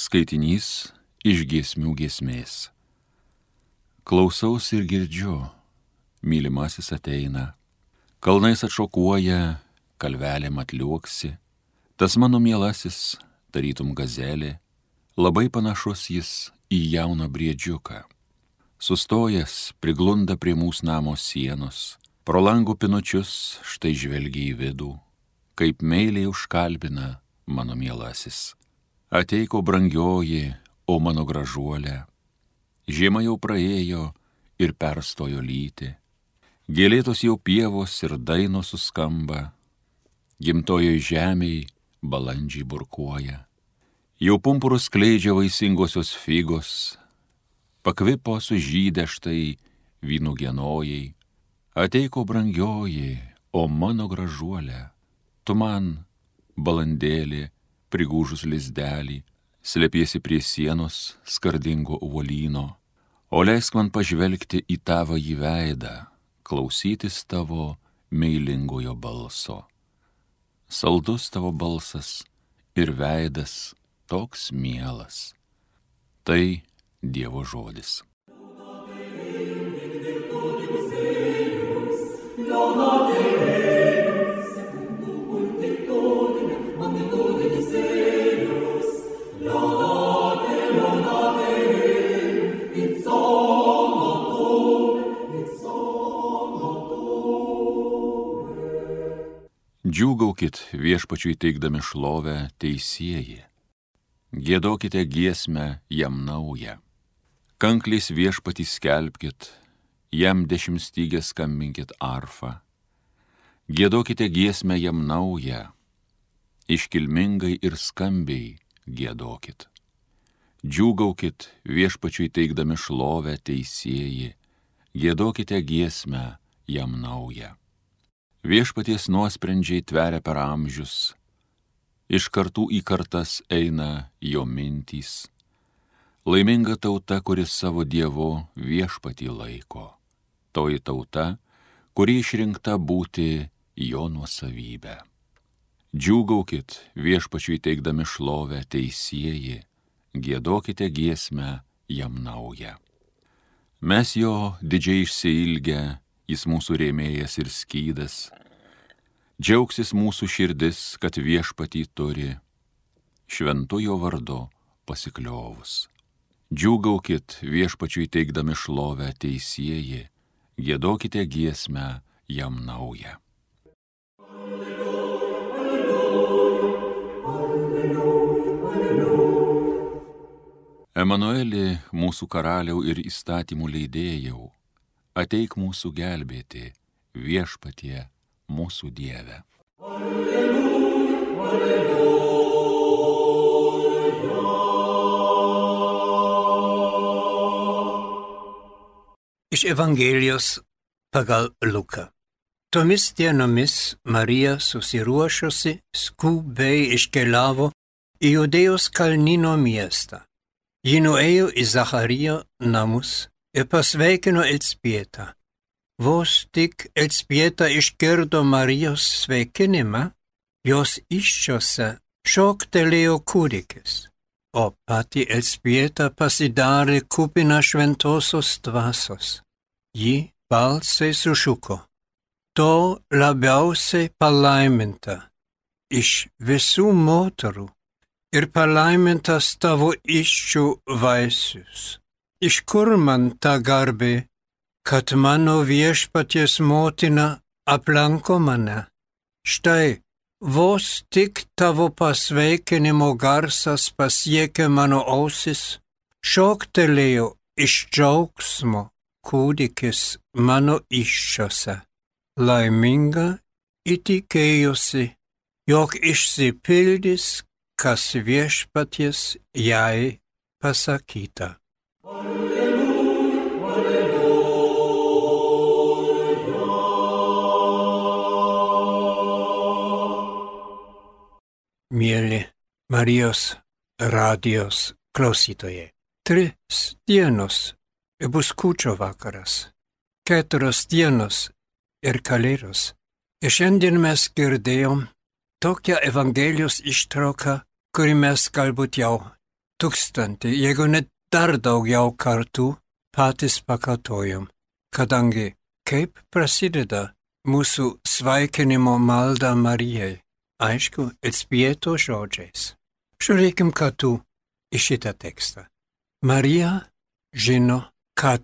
Skaitinys iš giesmių giesmės. Klausaus ir girdžiu, mylimasis ateina, kalnais atšokuoja, kalvelėm atliuoksi, tas mano mielasis, tarytum gazelė, labai panašus jis į jauną briedžiuką. Sustojęs, priglunda prie mūsų namo sienos, pro langų pinučius štai žvelgia į vidų, kaip meiliai užkalbina mano mielasis. Ateiko brangioji, o mano gražuolė, žiema jau praėjo ir perstojo lyti, gėlėtos jau pievos ir dainos suskamba, gimtojoj žemėj balandžiai burkuoja, jau pumpurus skleidžia vaisingosios figos, pakvipo sužydę štai vynų genojai. Ateiko brangioji, o mano gražuolė, tu man, balandėlė, prigūžus lizdelį, slepiesi prie sienos skardingo uolyno, o leisk man pažvelgti į tavąjį veidą, klausytis tavo meilingojo balso. Saldus tavo balsas ir veidas toks mielas. Tai Dievo žodis. Džiūgaukit viešpačiui teikdami šlovę teisieji, giedokite giesmę jam naują, kankliais viešpatį skelbkit, jam dešimtstygę skambinkit arfą, giedokite giesmę jam naują, iškilmingai ir skambiai giedokit. Džiūgaukit viešpačiui teikdami šlovę teisieji, giedokite giesmę jam naują. Viešpaties nuosprendžiai tveria per amžius, iš kartų į kartas eina jo mintys. Laiminga tauta, kuris savo Dievu viešpatį laiko. Toji tauta, kuri išrinkta būti jo nuosavybė. Džiūgaukit viešpačiui teikdami šlovę teisieji, giedokite giesmę jam naują. Mes jo didžiai išsiilgę, jis mūsų rėmėjas ir skydas, džiaugsis mūsų širdis, kad viešpatį turi, šventujo vardu pasikliovus. Džiūgaukit viešpačiui teikdami šlovę teisieji, giedokite giesmę jam naują. Emanueli, mūsų karaliau ir įstatymų leidėjau, ateik mūsų gelbėti, viešpatie mūsų Dieve. Alleluja, alleluja. Iš Evangelijos pagal Luką. Tomis dienomis Marija susiruošusi skubiai iškeliavo į Judėjos kalnyno miestą. Ji nuėjo į Zacharijo namus ir pasveikino Elzbietą. Vos tik Elzbieta išgirdo Marijos sveikinimą, jos įsčiose šoktelėjo kūdikis, o pati Elzbieta pasidarė kupina šventosios dvasios. Ji balsai sušuko: "Tu labiausiai palaiminta iš visų moterų, ir palaimintas tavo įsčių vaisius. Iš kur man ta garbė, kad mano viešpaties motina aplanko mane? Štai, vos tik tavo pasveikinimo garsas pasiekė mano ausis, šoktelėjo iš džiaugsmo kūdikis mano įsčiose. Laiminga įtikėjusi, jog išsipildys, kas viešpaties jai pasakyta." Mieli Marijos radijos klausytojai, 3 dienos ir bus kūčio vakaras, 4 dienos ir kalėdos. Ir šiandien mes girdėjom tokią Evangelijos ištrauką, kurį mes galbūt jau 1000, jeigu net dar daugiau kartų patys pakartojom, kadangi kaip prasideda mūsų sveikinimo malda Marijai, aišku, Elzbieto žodžiais. Žiūrėkim kartu į šitą tekstą. Marija žino, kad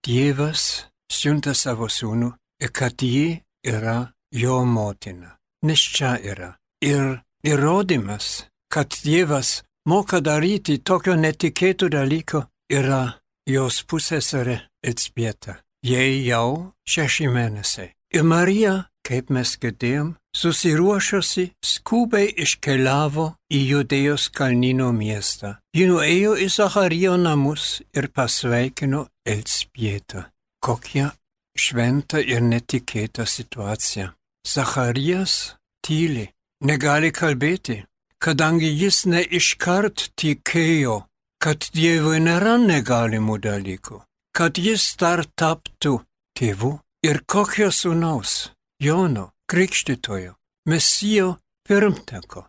Dievas siunta savo sūnų ir kad ji yra jo motina, nes čia yra. Ir įrodymas, kad Dievas moka daryti tokio netikėtų dalyko, yra jos pusseserė Elzbieta. Jai jau 6 mėnesiai. Ir Marija, kaip mes girdėjom, susiruošusi skubiai iškeliavo į Judėjos kalnyno miestą. Ji nuėjo į Zacharijo namus ir pasveikino Elzbietą. Kokia šventa ir netikėta situacija. Zacharijas tyli, negali kalbėti, kadangi jis ne iškart tikėjo, kad Dievui nėra negalimų dalykų, kad jis dar taptų tėvu ir kokio sūnaus, Jono Krikštytojo, Mesijo pirmtako.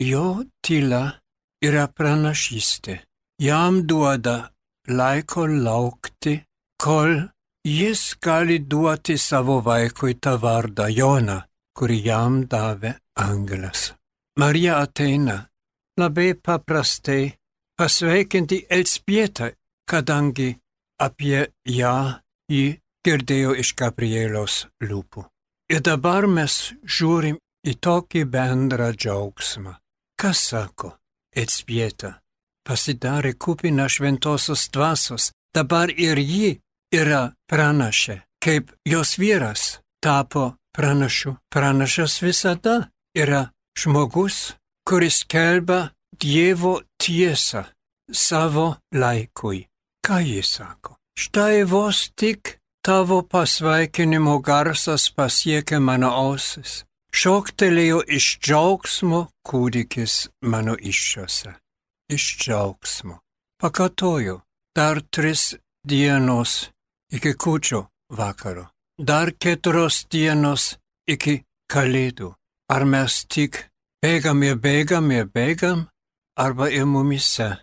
Jo tyla yra pranašystė. Jam duoda laiko laukti, kol jis gali duoti savo vaikui tą vardą Joną, kurį jam davė angelas. Marija ateina labai paprastai pasveikinti Elzbietą, kadangi apie ją ji girdėjo iš Gabrieliaus lūpų. Ir dabar mes žiūrim į tokį bendrą džiaugsmą. Kas sako? Elzbieta pasidarė kupina šventosios dvasios, dabar ir ji yra pranašė, kaip jos vyras tapo pranašu. Pranašas visada yra žmogus, kuris skelbia Dievo tiesą savo laikui. Ką jis sako? Štai vos tik tavo pasveikinimo garsas pasiekė mano ausis. Šoktelėjo iš džiaugsmo kūdikis mano įsčiose. Iš džiaugsmo. Pakartoju, dar 3 dienos iki kūčių vakaro. Dar 4 dienos iki Kalėdų. Ar mes tik bėgam, arba ir mumise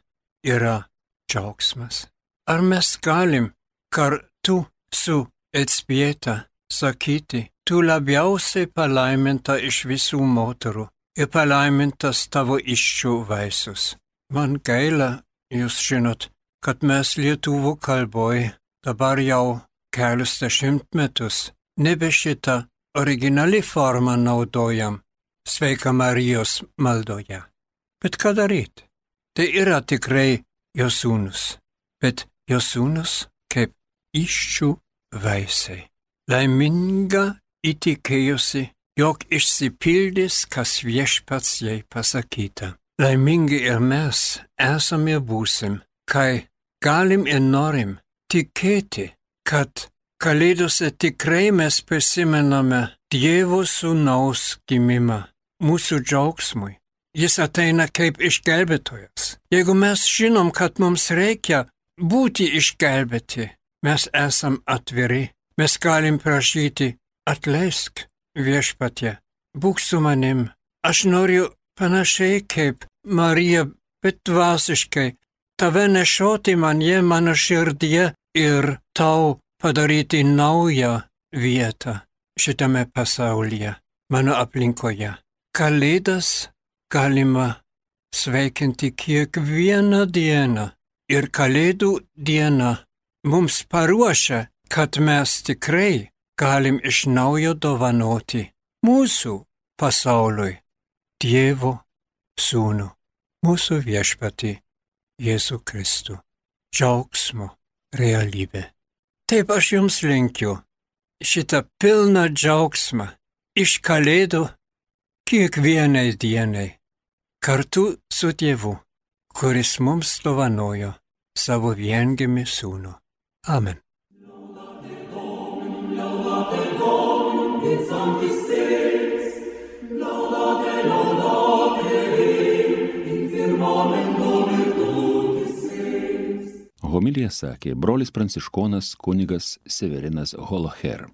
yra džiaugsmas. Ar mes galim kartu su Elzbieta sakyti, tu labiausiai palaiminta iš visų moterų ir palaimintas tavo įsčių vaisius. Man gaila, jūs žinot, kad mes lietuvių kalboj dabar jau kelius dešimtmetus nebe šitą originali formą naudojam Sveika Marijos maldoje. Bet ką daryt? Tai yra tikrai jos sūnus, bet jos sūnus kaip įsčių vaisiai. Laiminga įtikėjusi, jog išsipildys, kas viešpats jai pasakyta. Laimingi ir mes esame būsim, kai galim ir norim tikėti, kad Kalėdose tikrai mes prisimename Dievo sūnaus gimimą mūsų džiaugsmui. Jis ateina kaip išgelbėtojas. Jeigu mes žinom, kad mums reikia būti išgelbėti, mes esam atviri. Mes galim prašyti, atleisk viešpatie, būk su manim. Aš noriu panašiai kaip Marija, bet dvasiškai tave nešioti manie mano širdyje ir tau padaryti naują vietą šitame pasaulyje, mano aplinkoje. Kalėdas galima sveikinti kiekvieną dieną ir Kalėdų diena mums paruošia, kad mes tikrai galim iš naujo dovanoti mūsų pasauliui Dievo sūnų, mūsų viešpatį Jėzų Kristų, džiaugsmo realybė. Taip aš jums linkiu šitą pilną džiaugsmą iš Kalėdų kiekvienai dienai kartu su Dievu, kuris mums dovanojo savo viengimį sūnų. Amen. Homiliją sakė brolis pranciškonas kunigas Severinas Holoher.